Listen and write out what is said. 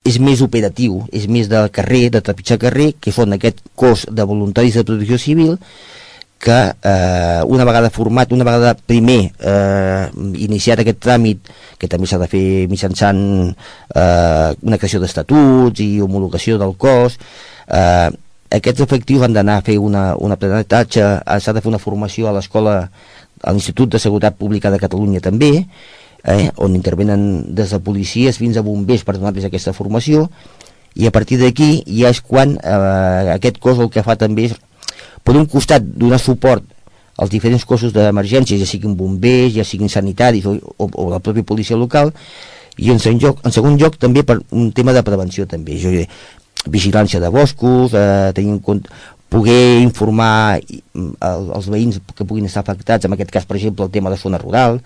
és més operatiu, és més de carrer, de trepitjar carrer, que són aquest cos de voluntaris de protecció civil que una vegada format, una vegada primer iniciat aquest tràmit, que també s'ha de fer mitjançant una creació d'estatuts i homologació del cos, aquests efectius han d'anar a fer un aprenentatge, s'ha de fer una formació a l'escola, a l'Institut de Seguretat Pública de Catalunya també, on intervenen des de policies fins a bombers per donar-los aquesta formació, i a partir d'aquí ja és quan aquest cos el que fa també és, per un costat, donar suport als diferents cossos d'emergència, ja siguin bombers, ja siguin sanitaris o la pròpia policia local, i en segon lloc també per un tema de prevenció també, vigilància de boscos, tenir en compte, poder informar els veïns que puguin estar afectats, en aquest cas per exemple el tema de zona rural.